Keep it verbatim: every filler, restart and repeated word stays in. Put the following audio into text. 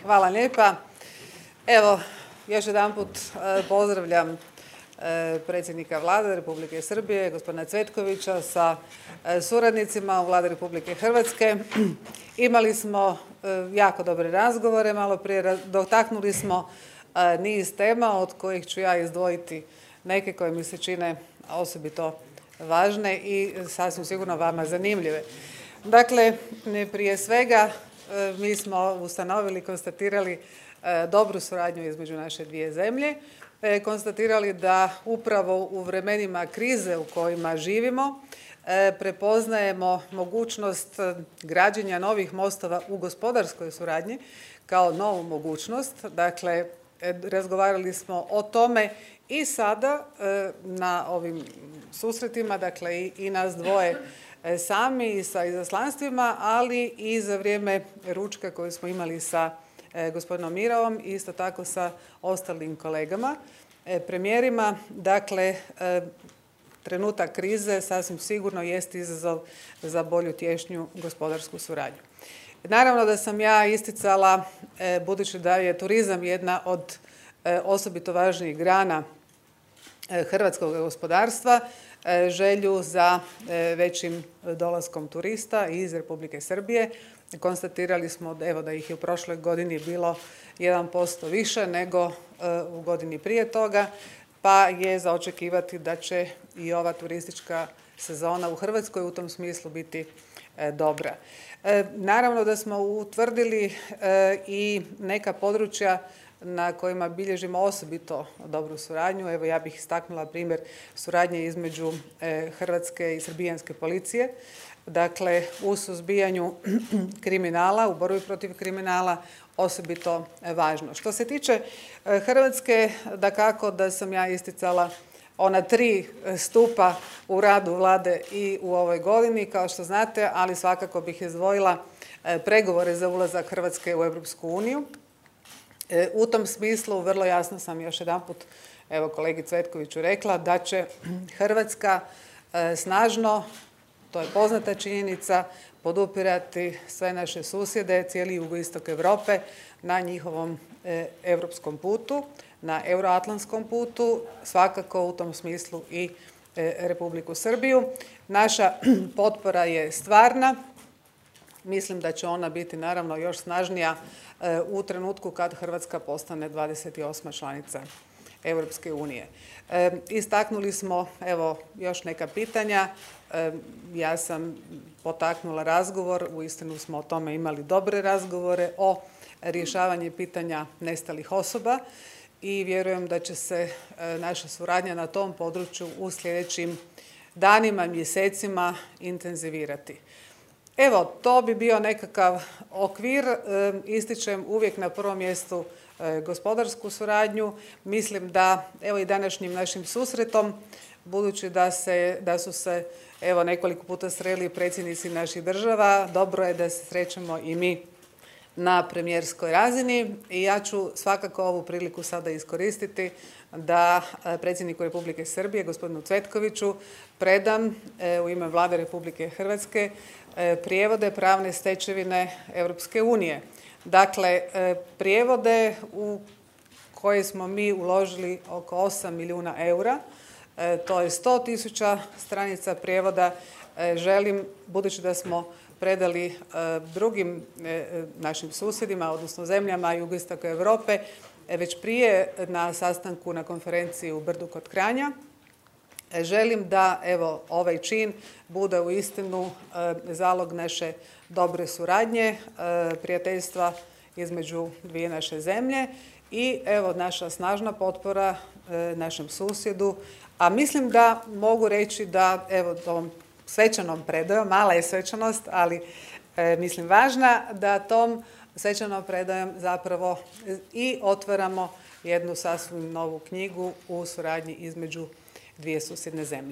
Hvala lijepa. Evo, još jedanput pozdravljam predsjednika Vlade Republike Srbije, gospodina Cvetkovića, sa suradnicima u Vladi Republike Hrvatske. Imali smo jako dobre razgovore, malo prije dotaknuli smo niz tema od kojih ću ja izdvojiti neke koje mi se čine osobito važne i sasvim sigurno vama zanimljive. Dakle, prije svega mi smo ustanovili, konstatirali dobru suradnju između naše dvije zemlje, konstatirali da upravo u vremenima krize u kojima živimo prepoznajemo mogućnost građenja novih mostova u gospodarskoj suradnji kao novu mogućnost. Dakle, razgovarali smo o tome i sada na ovim susretima, dakle i nas dvoje sami i sa izaslanstvima, ali i za vrijeme ručka koji smo imali sa gospodinom Miravom i isto tako sa ostalim kolegama, premijerima. Dakle, trenutak krize sasvim sigurno jest izazov za bolju, tješnju gospodarsku suradnju. Naravno da sam ja isticala, budući da je turizam jedna od osobito važnijih grana hrvatskog gospodarstva, želju za većim dolaskom turista iz Republike Srbije. Konstatirali smo evo, da ih je u prošloj godini bilo jedan posto više nego u godini prije toga, pa je za očekivati da će i ova turistička sezona u Hrvatskoj u tom smislu biti dobra. Naravno da smo utvrdili i neka područja na kojima bilježimo osobito dobru suradnju. Evo, ja bih istaknula primjer suradnje između hrvatske i srbijanske policije. Dakle, u suzbijanju kriminala, u borbi protiv kriminala, osobito važno. Što se tiče Hrvatske, dakako da sam ja isticala ona tri stupa u radu Vlade i u ovoj godini, kao što znate, ali svakako bih izdvojila pregovore za ulazak Hrvatske u Europsku uniju. U tom smislu vrlo jasno sam još jedanput evo kolegi Cvetkoviću rekla da će Hrvatska snažno, to je poznata činjenica, podupirati sve naše susjede, cijeli jugoistok Europe na njihovom europskom putu, na euroatlantskom putu, svakako u tom smislu i Republiku Srbiju. Naša potpora je stvarna. Mislim da će ona biti naravno još snažnija u trenutku kad Hrvatska postane dvadeset osma članica Europske unije. Istaknuli smo evo još neka pitanja. Ja sam potaknula razgovor, uistinu smo o tome imali dobre razgovore o rješavanju pitanja nestalih osoba i vjerujem da će se naša suradnja na tom području u sljedećim danima, mjesecima intenzivirati. Evo, to bi bio nekakav okvir. Ističem uvijek na prvom mjestu gospodarsku suradnju. Mislim da evo i današnjim našim susretom, budući da, se, da su se evo nekoliko puta sreli predsjednici naših država, dobro je da se srećemo i mi na premijerskoj razini i ja ću svakako ovu priliku sada iskoristiti da predsjedniku Republike Srbije, gospodinu Cvetkoviću, predam u ime Vlade Republike Hrvatske prijevode pravne stečevine Europske unije. Dakle, prijevode u koje smo mi uložili oko osam milijuna eura, to je sto tisuća stranica prijevoda. Želim, budući da smo predali drugim našim susjedima, odnosno zemljama jugoistoka Europe, već prije na sastanku na konferenciji u Brdu kod Kranja, želim da evo ovaj čin bude uistinu zalog naše dobre suradnje, prijateljstva između dvije naše zemlje i evo naša snažna potpora našem susjedu. A mislim da mogu reći da evo ovom svečanom predajom, mala je svečanost, ali e, mislim važna, da tom svečanom predajom zapravo i otvaramo jednu sasvim novu knjigu u suradnji između dvije susjedne zemlje.